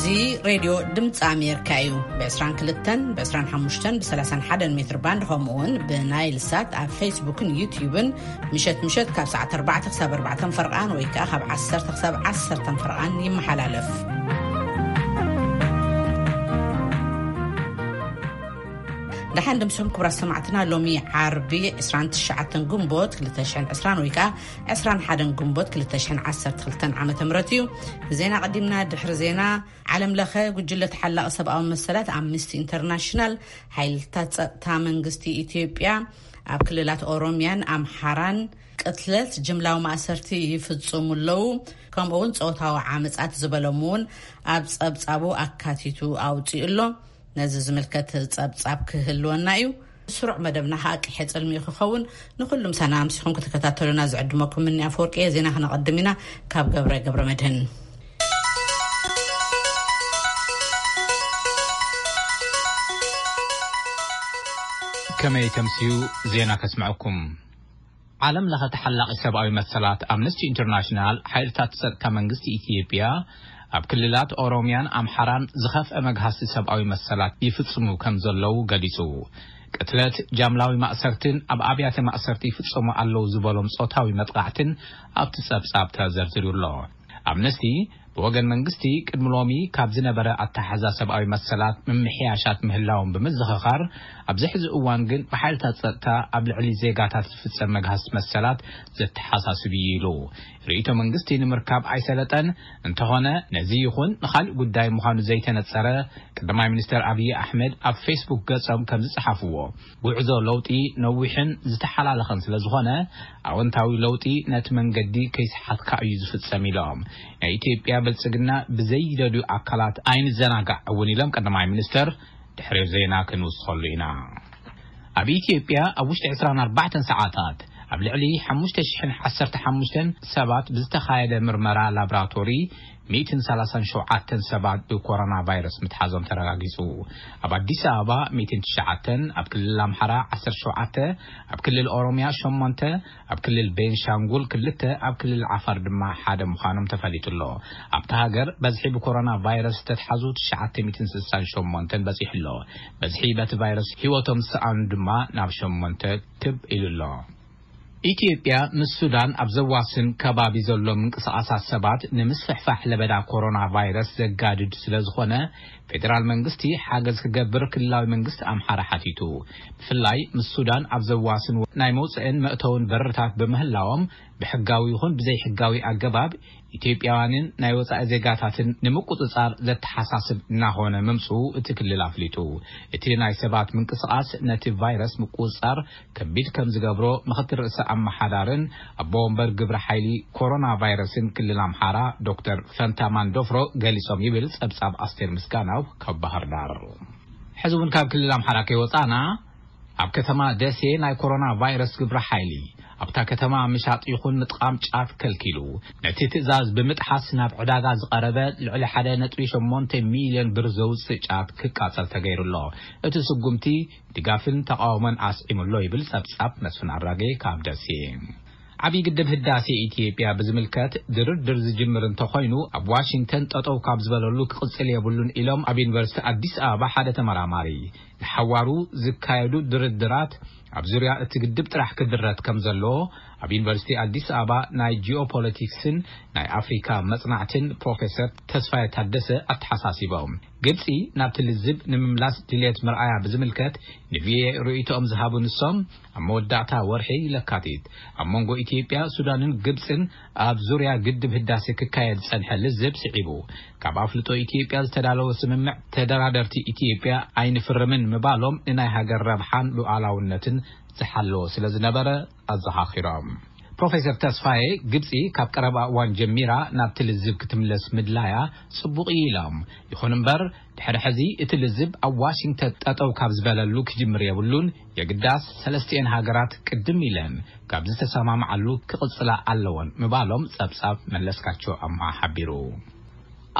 እዚ ሬድዮ ድምፂ ኣሜሪካ እዩ። ብ22፣ ብ25፣ ብ31 ሜትር ባንድ፣ ከምኡ እውን ብናይል ሳት ኣብ ፌስቡክን ዩትዩብን ምሸት ምሸት ካብ ሰዓት 4 ክሳብ 4 ፈርቓን ወይ ከዓ ካብ 10 ክሳብ 10 ፈርቓን ይመሓላለፍ። ደሓን ድምሶም ክቡራት ሰማዕትና፣ ሎሚ ዓርቢ 29 ግንቦት 2020 ወይ ከዓ 21 ግንቦት 2012 ዓመተ ምህረት እዩ። ዜና ቀዲምና። ድሕሪ ዜና፣ ዓለም ለኸ ጉጅለ ተሓላቒ ሰብኣዊ መሰላት ኣምነስቲ ኢንተርናሽናል፣ ሓይልታት ጸጥታ መንግስቲ ኢትዮጵያ ኣብ ክልላት ኦሮሚያን ኣምሓራን ቅትለት፣ ጅምላዊ ማእሰርቲ ይፍጽሙ ኣለዉ፣ ከምኡ እውን ጾታዊ ዓመጻት ዝበሎም እውን ኣብ ጸብጻቡ ኣካቲቱ ኣውጺኡ ኣሎ። ነዚ ዝምልከት ጸብጻብ ክህልወና እዩ። ስሩዕ መደብና ከዓ ቅሐ ጽልሚ ክኸውን፣ ንኹሉም ሳና ኣምሲኹም ክትከታተሉና ዝዕድመኩም ምኒ ኣፈወርቂ እየ። ዜና ክነቐድም ኢና ካብ ገብረ ገብረ መድህን። ከመይ ተምስዩ ዜና ከስምዐኩም። ዓለም ለኸ ተሓላቒ ሰብኣዊ መሰላት ኣምነስቲ ኢንተርናሽናል፣ ሓይልታት ጸጥታ መንግስቲ ኢትዮጵያ ኣብ ክልላት ኦሮሚያን ኣምሓራን ዝኸፍአ መግሃስቲ ሰብኣዊ መሰላት ይፍጽሙ ከም ዘለዉ ገሊጹ። ቅትለት፣ ጃምላዊ ማእሰርትን ኣብ ኣብያተ ማእሰርቲ ይፍጸሙ ኣለዉ ዝበሎም ጾታዊ መጥቃዕትን ኣብቲ ጸብጻብ ተዘርዚሩ ኣሎ። ኣምነስቲ ብወገን መንግስቲ ቅድሚ ሎሚ ካብ ዝነበረ ኣተሓሕዛ ሰብኣዊ መሰላት ምምሕያሻት ምህላዎም ብምዝኽኻር፣ ኣብዚ ሕዚ እዋን ግን ብሓይልታት ጸጥታ ኣብ ልዕሊ ዜጋታት ዝፍጸም መግሃስ መሰላት ዘተሓሳስብ እዩ ኢሉ። ርእይቶ መንግስቲ ንምርካብ ኣይሰለጠን። እንተኾነ ነዚ ይኹን ንኻልእ ጉዳይ ምዃኑ ዘይተነጸረ፣ ቀዳማይ ሚኒስተር ኣብይ ኣሕመድ ኣብ ፌስቡክ ገጾም ከም ዝጸሓፍዎ፣ ጉዕዞ ለውጢ ነዊሕን ዝተሓላለኸን ስለ ዝኾነ፣ ኣወንታዊ ለውጢ ነቲ መንገዲ ከይሰሓትካ እዩ ዝፍጸም ኢሎም። ናይ ኢትዮጵያ ብልጽግና ብዘይደልዩ ኣካላት ኣይንዘናጋዕ እውን ኢሎም ቀዳማይ ሚኒስተር። ድሕሪ ዜና ክንውስኸሉ ኢና። ኣብ ኢትዮጵያ ኣብ ውሽጢ 24 ሰዓታት ኣብ ልዕሊ 5,015 ሰባት ብዝተኻየደ ምርመራ ላብራቶሪ 137 ሰባት ብኮሮና ቫይረስ ምትሓዞም ተረጋጊጹ። ኣብ ኣዲስ ኣበባ 109፣ ኣብ ክልል ኣምሓራ 17፣ ኣብ ክልል ኦሮሚያ ሸሞንተ፣ ኣብ ክልል ቤንሻንጉል ክልተ፣ ኣብ ክልል ዓፋር ድማ ሓደ ምዃኖም ተፈሊጡ ኣሎ። ኣብታ ሃገር በዝሒ ብኮሮና ቫይረስ ዝተትሓዙ 968 በጺሑ ኣሎ። በዝሒ በቲ ቫይረስ ህይወቶም ዝሰኣኑ ድማ ናብ ሸሞንተ ክብ ኢሉ ኣሎ። ኢትዮጵያ ምስ ሱዳን ኣብ ዘዋስን ከባቢ ዘሎ ምንቅስቓሳት ሰባት ንምስፍሕፋሕ ለበዳ ኮሮና ቫይረስ ዘጋድድ ስለ ዝኾነ፣ ፌደራል መንግስቲ ሓገዝ ክገብር ክልላዊ መንግስቲ ኣምሓራ ሓቲቱ። ብፍላይ ምስ ሱዳን ኣብ ዘዋስን ናይ መውፅእን መእተውን በርታት ብምህላዎም፣ ብሕጋዊ ይኹን ብዘይሕጋዊ ኣገባብ ኢትዮጵያውያንን ናይ ወፃኢ ዜጋታትን ንምቁፅፃር ዘተሓሳስብ እናኾነ ምምፅኡ እቲ ክልል ኣፍሊጡ። እቲ ናይ ሰባት ምንቅስቓስ ነቲ ቫይረስ ምቁፅፃር ከቢድ ከም ዝገብሮ ምኽትል ርእሰ ኣመሓዳርን ኣቦ ወንበር ግብረ ሓይሊ ኮሮና ቫይረስን ክልል ኣምሓራ ዶክተር ፈንታ ማንዶፍሮ ገሊጾም ይብል ጸብጻብ ኣስቴር ምስጋናው ካብ ባህር ዳር። ሕዚ እውን ካብ ክልል ኣምሓራ ከይወጻና፣ ኣብ ከተማ ደሴ ናይ ኮሮና ቫይረስ ግብረ ሓይሊ ኣብታ ከተማ ምሻጥ ይኹን ምጥቓም ጫት ከልኪሉ። ነቲ ትእዛዝ ብምጥሓስ ናብ ዕዳጋ ዝቐረበ ልዕሊ 1.8 ሚልዮን ብር ዘውፅእ ጫት ክቃጸል ተገይሩ ኣሎ። እቲ ስጉምቲ ድጋፍን ተቃውሞን ኣስዒሙ ኣሎ ይብል ጸብጻብ መስፍን ኣራጌ ካብ ደሴ። ዓብዪ ግድብ ህዳሴ ኢትዮጵያ ብዝምልከት ድርድር ዝጅምር እንተኾይኑ፣ ኣብ ዋሽንግተን ጠጠው ካብ ዝበለሉ ክቕጽል የብሉን ኢሎም ኣብ ዩኒቨርሲቲ ኣዲስ ኣበባ ሓደ ተመራማሪ። ንሓዋሩ ዝካየዱ ድርድራት ኣብ ዙርያ እቲ ግድብ ጥራሕ ክድረት ከም ዘለዎ ኣብ ዩኒቨርሲቲ ኣዲስ ኣበባ ናይ ጂኦፖለቲክስን ናይ ኣፍሪካ መጽናዕትን ፕሮፌሰር ተስፋዬ ታደሰ ኣተሓሳሲቦም። ግብጺ ናብቲ ልዝብ ንምምላስ ድልየት ምርኣያ ብዝምልከት ንቪኦኤ ርእይቶኦም ዝሃቡ ንሶም፣ ኣብ መወዳእታ ወርሒ ለካቲት ኣብ መንጎ ኢትዮጵያ፣ ሱዳንን ግብጽን ኣብ ዙርያ ግድብ ህዳሴ ክካየድ ዝጸንሐ ልዝብ ስዒቡ፣ ካብ ኣፍልጦ ኢትዮጵያ ዝተዳለወ ስምምዕ ተደራደርቲ ኢትዮጵያ ኣይንፍርምን ምባሎም ንናይ ሃገር ረብሓን ሉዓላውነትን ዝሓለወ ስለ ዝነበረ ኣዘኻኺሮም። ፕሮፌሰር ተስፋዬ፣ ግብጺ ካብ ቀረባ እዋን ጀሚራ ናብቲ ልዝብ ክትምለስ ምድላያ ጽቡቕ እዩ ኢሎም። ይኹን እምበር፣ ድሕሪ ሕዚ እቲ ልዝብ ኣብ ዋሽንግተን ጠጠው ካብ ዝበለሉ ክጅምር የብሉን፣ የግዳስ ሰለስቲኤን ሃገራት ቅድም ኢለን ካብ ዝተሰማምዓሉ ክቕጽላ ኣለወን ምባሎም ጸብጻብ መለስካቸው ኣምሃ ሓቢሩ።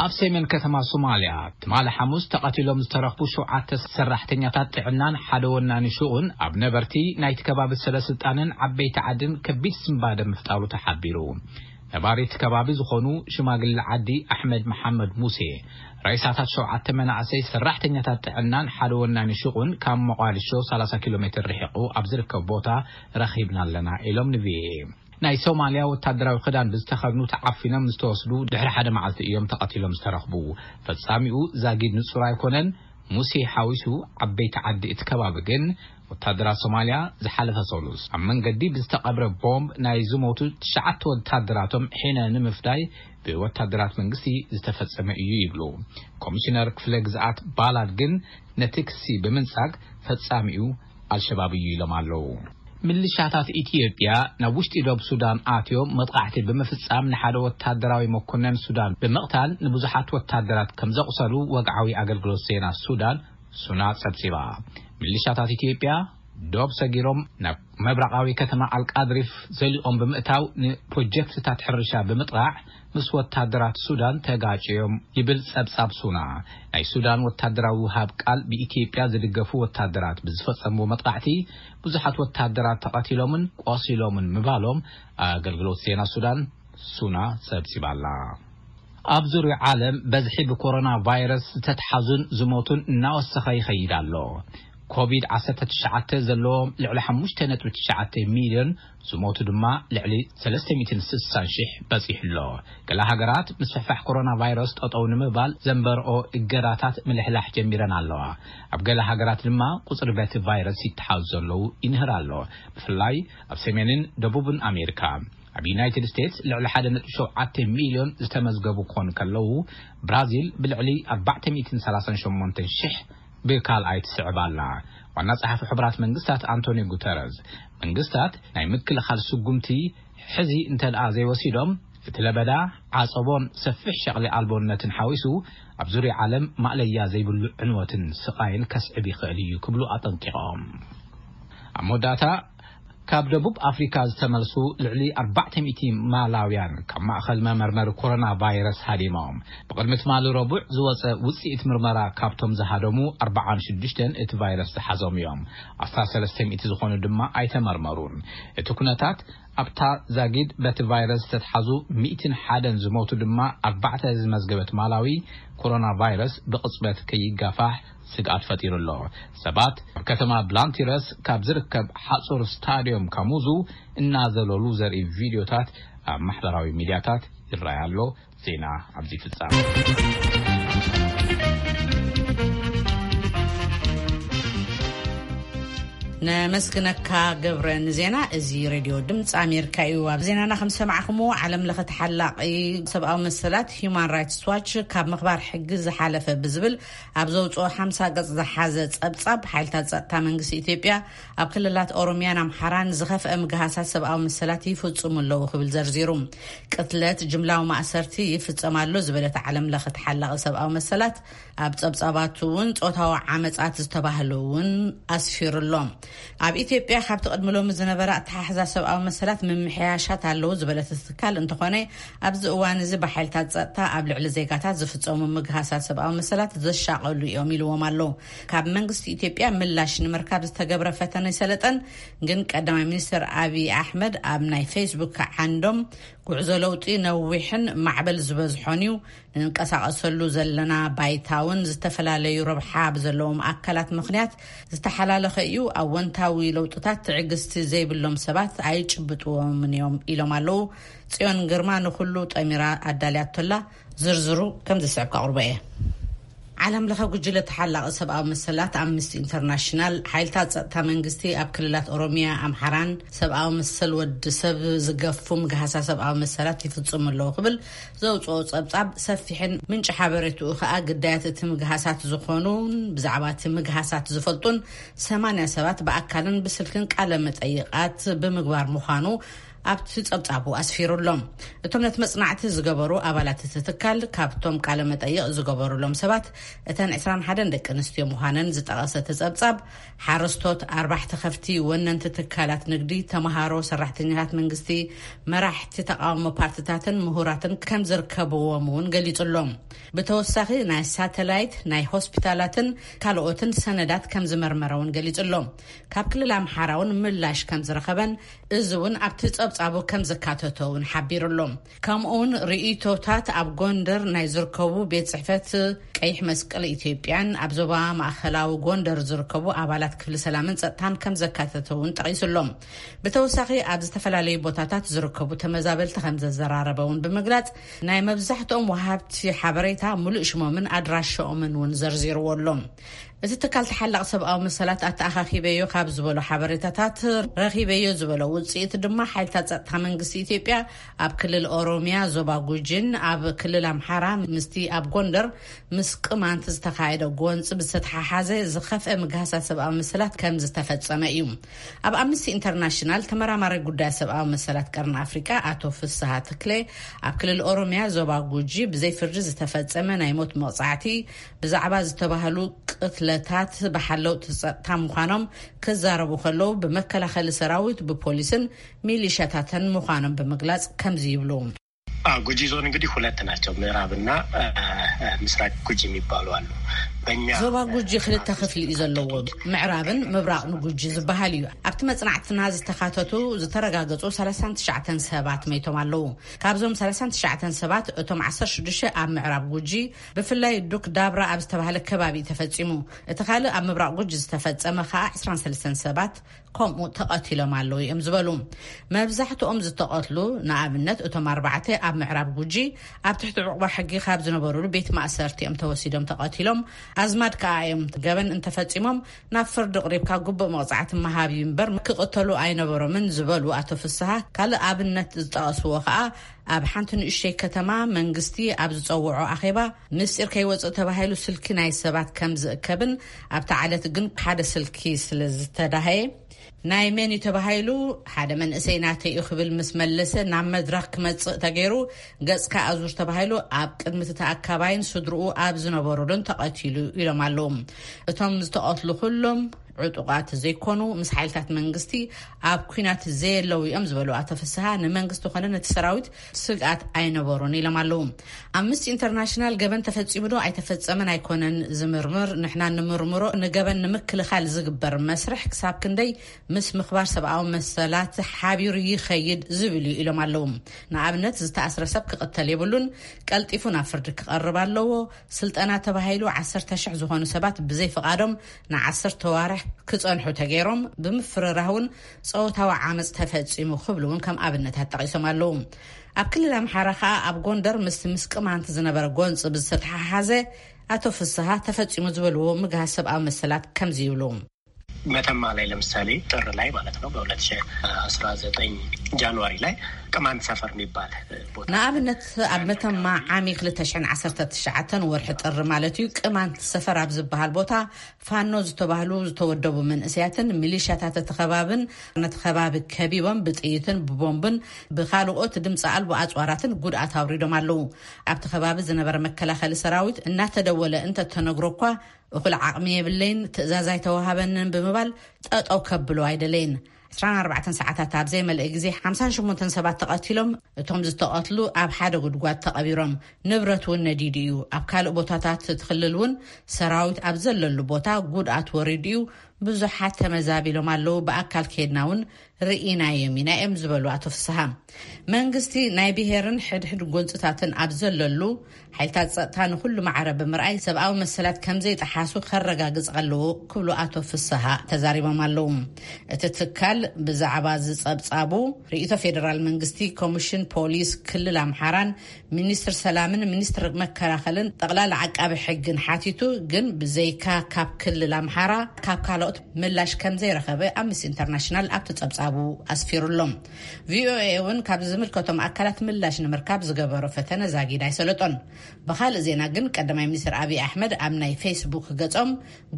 ኣብ ሰሜን ከተማ ሶማልያ ትማሊ ሓሙስ ተቐቲሎም ዝተረኽቡ ሸውዓተ ሰራሕተኛታት ጥዕናን ሓደ ወናኒ ሹቕን ኣብ ነበርቲ ናይቲ ከባቢ ሰበ ስልጣንን ዓበይቲ ዓድን ከቢድ ስንባደ ምፍጣሩ ተሓቢሩ። ነባሪት ከባቢ ዝኾኑ ሽማግለ ዓዲ ኣሕመድ መሓመድ ሙሴ፣ ሬሳታት ሸውዓተ መናእሰይ ሰራሕተኛታት ጥዕናን ሓደ ወናኒ ሹቕን ካብ ሞቓዲሾ ሰላሳ ኪሎ ሜትር ርሒቑ ኣብ ዝርከብ ቦታ ረኺብና ኣለና ኢሎም ንቪኦኤ። ናይ ሶማልያ ወታደራዊ ክዳን ብዝተኸድኑ ተዓፊኖም ዝተወስዱ ድሕሪ ሓደ መዓልቲ እዮም ተቐቲሎም ዝተረኽቡ። ፈጻሚኡ ዛጊድ ንጹር ኣይኮነን። ሙሴ ሓዊሱ ዓበይቲ ዓዲ እቲ ከባቢ ግን፣ ወታደራት ሶማልያ ዝሓለፈ ሰሉስ ኣብ መንገዲ ብዝተቐብረ ቦምብ ናይ ዝሞቱ ትሽዓተ ወታደራቶም ሒነ ንምፍዳይ ብወታደራት መንግስቲ ዝተፈጸመ እዩ ይብሉ። ኮሚሽነር ክፍለ ግዝኣት ባላድ ግን ነቲ ክሲ ብምንጻግ ፈጻሚኡ ኣልሸባብ እዩ ኢሎም ኣለዉ። ምልሻታት ኢትዮጵያ ናብ ውሽጢ ዶብ ሱዳን ኣትዮም መጥቃዕቲ ብምፍጻም ንሓደ ወታደራዊ መኮነን ሱዳን ብምቕታል ንብዙሓት ወታደራት ከም ዘቑሰሉ ወግዓዊ ኣገልግሎት ዜና ሱዳን ሱና ጸብጺባ። ምልሻታት ኢትዮጵያ ዶብ ሰጊሮም ናብ ምብራቓዊ ከተማ ኣልቃድሪፍ ዘሊቖም ብምእታው ንፕሮጀክትታት ሕርሻ ብምጥቓዕ ምስ ወታደራት ሱዳን ተጋጭዮም ይብል ጸብጻብ ሱና። ናይ ሱዳን ወታደራዊ ውሃብ ቃል ብኢትዮጵያ ዝድገፉ ወታደራት ብዝፈጸምዎ መጥቃዕቲ ብዙሓት ወታደራት ተቐቲሎምን ቆሲሎምን ምባሎም ኣገልግሎት ዜና ሱዳን ሱና ጸብጺባላ። ኣብ ዙርያ ዓለም በዝሒ ብኮሮና ቫይረስ ዝተትሓዙን ዝሞቱን እናወሰኸ ይኸይድ ኣሎ። ኮቪድ ዓሰርተ ትሽዓተ ዘለዎም ልዕሊ ሓሙሽተ ነጥቢ ትሽዓተ ሚልዮን፣ ዝሞቱ ድማ ልዕሊ ሰለስተ ሚእትን ስሳን ሽሕ በጺሑ ኣሎ። ገለ ሃገራት ምስፍሕፋሕ ኮሮና ቫይረስ ጠጠው ንምባል ዘንበርኦ እገዳታት ምልሕላሕ ጀሚረን ኣለዋ። ኣብ ገለ ሃገራት ድማ ቁጽሪ በቲ ቫይረስ ይተሓዙ ዘለዉ ይንህር ኣሎ። ብፍላይ ኣብ ሰሜንን ደቡብን ኣሜሪካ። ኣብ ዩናይትድ ስቴትስ ልዕሊ ሓደ ነጥቢ ሸውዓተ ሚልዮን ዝተመዝገቡ ክኾኑ ከለዉ፣ ብራዚል ብልዕሊ ኣርባዕተ ሚእትን ሰላሳን ሸሞንተን ሽሕ ብካልኣይ ትስዕብ ኣላ። ዋና ጸሓፊ ሕቡራት መንግስታት ኣንቶኒዮ ጉተረዝ፣ መንግስታት ናይ ምክልኻል ስጉምቲ ሕዚ እንተ ደኣ ዘይወሲዶም፣ እቲ ለበዳ ዓጸቦን ሰፊሕ ሸቕሊ ኣልቦነትን ሓዊሱ ኣብ ዙርያ ዓለም ማእለያ ዘይብሉ ዕንወትን ስቓይን ከስዕብ ይኽእል እዩ ክብሉ ኣጠንቂቖም። ኣብ መወዳእታ፣ ካብ ደቡብ ኣፍሪካ ዝተመልሱ ልዕሊ ኣርባዕተ ሚእቲ ማላውያን ካብ ማእኸል መመርመሪ ኮሮና ቫይረስ ሃዲሞም። ብቕድሚ ትማሊ ረቡዕ ዝወፀ ውፅኢት ምርመራ፣ ካብቶም ዝሃደሙ ኣርባዓን ሽዱሽተን እቲ ቫይረስ ዝሓዞም እዮም። ኣስታት ሰለስተ ሚእቲ ዝኾኑ ድማ ኣይተመርመሩን። እቲ ኩነታት ኣብታ ዛጊድ በቲ ቫይረስ ዝተትሓዙ ሚእትን ሓደን ዝሞቱ ድማ ኣርባዕተ ዝመዝገበት ማላዊ፣ ኮሮና ቫይረስ ብቕጽበት ከይጋፋሕ ስግኣት ፈጢሩ ኣሎ። ሰባት ኣብ ከተማ ብላንቲረስ ካብ ዝርከብ ሓጹር ስታድዮም ካሙዙ እናዘለሉ ዘርኢ ቪድዮታት ኣብ ማሕበራዊ ሚድያታት ይረኣይ ኣሎ። ዜና ኣብዚ ይፍጸም። ነመስግነካ ገብረ ንዜና። እዚ ሬድዮ ድምፂ ኣሜሪካ እዩ። ኣብ ዜናና ከም ሰማዕኹምዎ፣ ዓለም ለኸ ተሓላቒ ሰብኣዊ መሰላት ሂዩማን ራይትስ ዋች ካብ ምኽባር ሕጊ ዝሓለፈ ብዝብል ኣብ ዘውፅኦ ሓምሳ ገፅ ዝሓዘ ፀብፃብ፣ ሓይልታት ፀጥታ መንግስቲ ኢትዮጵያ ኣብ ክልላት ኦሮሚያን ኣምሓራን ዝኸፍአ ምግሃሳት ሰብኣዊ መሰላት ይፍፅሙ ኣለዉ ክብል ዘርዚሩ። ቅትለት፣ ጅምላዊ ማእሰርቲ ይፍፀም ኣሎ ዝበለት ዓለም ለኸ ተሓላቒ ሰብኣዊ መሰላት፣ ኣብ ጸብጻባቱ እውን ጾታዊ ዓመጻት ዝተባህሉ እውን ኣስፊሩ ኣሎ። ኣብ ኢትዮጵያ ካብቲ ቅድሚ ሎሚ ዝነበረ ኣተሓሕዛ ሰብኣዊ መሰላት ምምሕያሻት ኣለዉ ዝበለት እቲ ትካል፣ እንተኾነ ኣብዚ እዋን እዚ ብሓይልታት ጸጥታ ኣብ ልዕሊ ዜጋታት ዝፍጸሙ ምግሃሳት ሰብኣዊ መሰላት ዘሻቐሉ እዮም ኢልዎም ኣሎ። ካብ መንግስቲ ኢትዮጵያ ምላሽ ንምርካብ ዝተገብረ ፈተነ ኣይሰለጠን። ግን ቀዳማይ ሚኒስትር ኣብይ ኣሕመድ ኣብ ናይ ፌስቡክ ዓንዶም፣ ጉዕዞ ለውጢ ነዊሕን ማዕበል ዝበዝሖን እዩ፣ ንንቀሳቐሰሉ ዘለና ባይታ እውን ዝተፈላለዩ ረብሓ ብዘለዎም ኣካላት ምኽንያት ዝተሓላለኸ እዩ። ኣወንታዊ ለውጥታት ትዕግስቲ ዘይብሎም ሰባት ኣይጭብጥዎምን እዮም ኢሎም ኣለዉ። ጽዮን ግርማ ንኹሉ ጠሚራ ኣዳልያቶላ። ዝርዝሩ ከም ዝስዕብ ከቕርቦ እየ። ዓለም ለኸ ጉጅለ ተሓላቒ ሰብኣዊ መሰላት ኣምነስቲ ኢንተርናሽናል፣ ሓይልታት ጸጥታ መንግስቲ ኣብ ክልላት ኦሮሚያ፣ ኣምሓራን ሰብኣዊ መሰል ወዲ ሰብ ዝገፉ ምግሃሳ ሰብኣዊ መሰላት ይፍጽሙ ኣለዉ ክብል ዘውጽኦ ጸብጻብ ሰፊሕን ምንጪ ሓበሬትኡ ከኣ ግዳያት እቲ ምግሃሳት ዝኾኑን ብዛዕባ እቲ ምግሃሳት ዝፈልጡን ሰማንያ ሰባት ብኣካልን ብስልክን ቃለ መጠይቓት ብምግባር ምዃኑ ኣብቲ ጸብጻቡ ኣስፊሩ ኣሎ። እቶም ነቲ መጽናዕቲ ዝገበሩ ኣባላት እቲ ትካል፣ ካብቶም ቃለ መጠይቕ ዝገበሩሎም ሰባት እተን ዕስራን ሓደን ደቂ ኣንስትዮ ምዃነን ዝጠቐሰ እቲ ጸብጻብ፣ ሓረስቶት፣ ኣርባሕቲ ከፍቲ፣ ወነንቲ ትካላት ንግዲ፣ ተመሃሮ፣ ሰራሕተኛታት መንግስቲ፣ መራሕቲ ተቓውሞ ፓርትታትን ምሁራትን ከም ዝርከብዎም እውን ገሊጹ ኣሎ። ብተወሳኺ ናይ ሳተላይት፣ ናይ ሆስፒታላትን ካልኦትን ሰነዳት ከም ዝመርመረ እውን ገሊጹ ኣሎ። ካብ ክልል ኣምሓራ እውን ምላሽ ከም ዝረኸበን፣ እዚ እውን ኣብቲ ጸብጻብ ጻቡ ከም ዘካተተ እውን ሓቢሩ ኣሎ። ከምኡ እውን ርእይቶታት ኣብ ጎንደር ናይ ዝርከቡ ቤት ጽሕፈት ቀይሕ መስቀል ኢትዮጵያን ኣብ ዞባ ማእከላዊ ጎንደር ዝርከቡ ኣባላት ክፍሊ ሰላምን ጸጥታን ከም ዘካተተ እውን ጠቒሱ ኣሎ። ብተወሳኺ ኣብ ዝተፈላለዩ ቦታታት ዝርከቡ ተመዛበልቲ ከም ዘዘራረበ እውን ብምግላጽ፣ ናይ መብዛሕትኦም ወሃብቲ ሓበሬታ፣ ሙሉእ ሽሞምን ኣድራሻኦምን እውን ዘርዚርዎ ኣሎ። እቲ ትካል ተሓላቕ ሰብኣዊ መሰላት ኣተኣኻኺበዮ ካብ ዝበሎ ሓበሬታታት፣ ረኺበዮ ዝበሎ ውጽኢት ድማ ሓይልታት ጸጥታ መንግስቲ ኢትዮጵያ ኣብ ክልል ኦሮሚያ ዞባ ጉጂን ኣብ ክልል ኣምሓራ ምስቲ ኣብ ጎንደር ምስ ቅማንት ዝተኻየደ ጎንጽ ብዝተተሓሓዘ ዝኸፍአ ምግሃሳት ሰብኣዊ መሰላት ከም ዝተፈጸመ እዩ። ኣብ ኣምነስቲ ኢንተርናሽናል ተመራማሪ ጉዳይ ሰብኣዊ መሰላት ቀርኒ ኣፍሪቃ ኣቶ ፍስሃ ተክለ፣ ኣብ ክልል ኦሮሚያ ዞባ ጉጂ ብዘይ ፍርዲ ዝተፈጸመ ናይ ሞት መቕጻዕቲ፣ ብዛዕባ ዝተባህሉ ቅትለታት ብሓለውቲ ጸጥታ ምዃኖም ክዛረቡ ከለዉ፣ ብመከላኸሊ ሰራዊት፣ ብፖሊስን ሚሊሻታትን ምዃኖም ብምግላጽ ከምዚ ይብሉ። ጉጂ ዞን እንግዲህ ሁለት ናቸው። ምዕራብና ምስራቅ ጉጂ የሚባሉ አሉ። በእኛ ዞባ ጉጂ ክልተ ክፍሊ እዩ ዘለዎ። ምዕራብን ምብራቕን ጉጂ ዝበሃል እዩ። ኣብቲ መጽናዕትና ዝተኻተቱ ዝተረጋገጹ ሰላሳን ትሽዓተን ሰባት መይቶም ኣለዉ። ካብዞም ሰላሳን ትሽዓተን ሰባት፣ እቶም ዓሰርተ ሽዱሽተ ኣብ ምዕራብ ጉጂ፣ ብፍላይ ዱክ ዳብራ ኣብ ዝተባህለ ከባቢ ተፈጺሙ። እቲ ካልእ ኣብ ምብራቕ ጉጂ ዝተፈጸመ ከኣ ዕስራን ሰለስተን ሰባት ከምኡ ተቐቲሎም ኣለዉ እዮም ዝበሉ። መብዛሕትኦም ዝተቐትሉ፣ ንኣብነት እቶም ኣርባዕተ ኣብ ምዕራብ ጉጂ ኣብ ትሕቲ ዕቑባ ሕጊ ካብ ዝነበሩሉ ቤት ማእሰርቲ እዮም ተወሲዶም ተቐቲሎም። ኣዝማድ ከኣ እዮም ገበን እንተፈጺሞም ናብ ፍርዲ ቅሪብካ ግቡእ መቕጻዕቲ ምሃብ እዩ እምበር ክቕተሉ ኣይነበሮምን ዝበሉ ኣቶ ፍስሃ፣ ካልእ ኣብነት ዝጠቐስዎ ከኣ ኣብ ሓንቲ ንእሽተይ ከተማ መንግስቲ ኣብ ዝጸውዖ ኣኼባ ምስጢር ከይወጽእ ተባሂሉ ስልኪ ናይ ሰባት ከም ዝእከብን ኣብቲ ዓለት ግን ሓደ ስልኪ ስለ ዝተዳሃየ ናይ መን እዩ ተባሂሉ ሓደ መንእሰይ ናተይ እዩ ክብል ምስ መለሰ ናብ መድረኽ ክመጽእ ተገይሩ ገጽካ ኣዙር ተባሂሉ ኣብ ቅድሚ እቲ ተኣካባይን ስድርኡ ኣብ ዝነበሩሉን ተቐቲሉ ኢሎም ኣለዉ። እቶም ዝተቐትሉ ኩሎም ዕጡቓት ዘይኮኑ ምስ ሓይልታት መንግስቲ ኣብ ኲናት ዘየለዉ እዮም ዝበሉ ኣቶ ፍስሃ፣ ንመንግስቲ ኮነ ነቲ ሰራዊት ስግኣት ኣይነበሩን ኢሎም ኣለዉ። ኣምነስቲ ኢንተርናሽናል ገበን ተፈጺሙ ዶ ኣይተፈጸመን ኣይኮነን ዝምርምር፣ ንሕና ንምርምሮ ንገበን ንምክልኻል ዝግበር መስርሕ ክሳብ ክንደይ ምስ ምኽባር ሰብኣዊ መሰላት ሓቢሩ ይኸይድ ዝብል እዩ ኢሎም ኣለዉ። ንኣብነት ዝተኣስረ ሰብ ክቕተል የብሉን፣ ቀልጢፉ ናብ ፍርዲ ክቐርብ ኣለዎ። ስልጠና ተባሂሉ ዓሰርተ ሽሕ ዝኾኑ ሰባት ብዘይ ፍቓዶም ንዓሰርተ ዋርሕ ክጸንሑ ተገይሮም፣ ብምፍርራህ እውን ጾታዊ ዓመጽ ተፈጺሙ ክብሉ እውን ከም ኣብነታት ጠቒሶም ኣለዉ። ኣብ ክልል ኣምሓራ ከኣ ኣብ ጎንደር ምስቲ ምስ ቅማንት ዝነበረ ጎንጽ ብዝተተሓሓዘ ኣቶ ፍስሃ ተፈጺሙ ዝበልዎ ምግሃስ ሰብኣዊ መሰላት ከምዚ ይብሉ። መተማ ላይ ለምሳሌ ጥር ላይ ማለት ነው በሁለት ሺህ አስራ ዘጠኝ ጃንዋሪ ላይ ቅማንት ሰፈር የሚባል ቦታ ንኣብነት ኣብ መተማ ዓሚ ክልተ ሽሕን ዓሰርተ ትሽዓተን ወርሒ ጥሪ ማለት እዩ ቅማንት ሰፈር ኣብ ዝበሃል ቦታ ፋኖ ዝተባህሉ ዝተወደቡ መንእሰያትን ሚሊሻታት እቲ ከባብን ነቲ ከባቢ ከቢቦም ብጥይትን ብቦምብን ብካልኦት ድምፂ ኣልቦ ኣፅዋራትን ጉድኣት ኣውሪዶም ኣለዉ። ኣብቲ ከባቢ ዝነበረ መከላኸሊ ሰራዊት እናተደወለ እንተተነግሮ እኳ እኹል ዓቕሚ የብለይን፣ ትእዛዝ ኣይተዋሃበንን ብምባል ጠጠው ከብሎ ኣይደለይን። ዕስራን ኣርባዕተን ሰዓታት ኣብ ዘይመልአ ግዜ ሓምሳን ሸሞንተን ሰባት ተቐቲሎም፣ እቶም ዝተቐትሉ ኣብ ሓደ ጉድጓድ ተቐቢሮም። ንብረት እውን ነዲዱ እዩ። ኣብ ካልእ ቦታታት እቲ ክልል እውን ሰራዊት ኣብ ዘለሉ ቦታ ጉድኣት ወሪዱ እዩ። ብዙሓት ተመዛቢሎም ኣለዉ። ብኣካል ከይድና እውን ርኢናዮም ኢና እዮም ዝበሉ ኣቶ ፍስሃ። መንግስቲ ናይ ብሄርን ሕድሕድ ጎንፅታትን ኣብ ዘለሉ ሓይልታት ፀጥታ ንኩሉ ማዕረ ብምርኣይ ሰብኣዊ መሰላት ከም ዘይጠሓሱ ከረጋግፅ ኣለዎ ክብሉ ኣቶ ፍስሃ ተዛሪቦም ኣለዉ። እቲ ትካል ብዛዕባ ዝፀብፃቡ ርእይቶ ፌደራል መንግስቲ ኮሚሽን ፖሊስ ክልል ኣምሓራን ሚኒስትር ሰላምን ሚኒስትር መከላኸልን ጠቕላላ ዓቃቢ ሕግን ሓቲቱ፣ ግን ብዘይካ ካብ ክልል ኣምሓራ ካብ ካልኦት ምላሽ ከም ዘይረኸበ ኣምነስቲ ኢንተርናሽናል ኣብቲ ጸብጻቡ ኣስፊሩ ኣሎ። ቪኦኤ እውን ካብ ዝምልከቶም ኣካላት ምላሽ ንምርካብ ዝገበሮ ፈተነ ዛጊድ ኣይሰለጦን። ብኻልእ ዜና ግን ቀዳማይ ሚኒስትር ኣብይ ኣሕመድ ኣብ ናይ ፌስቡክ ገጾም፣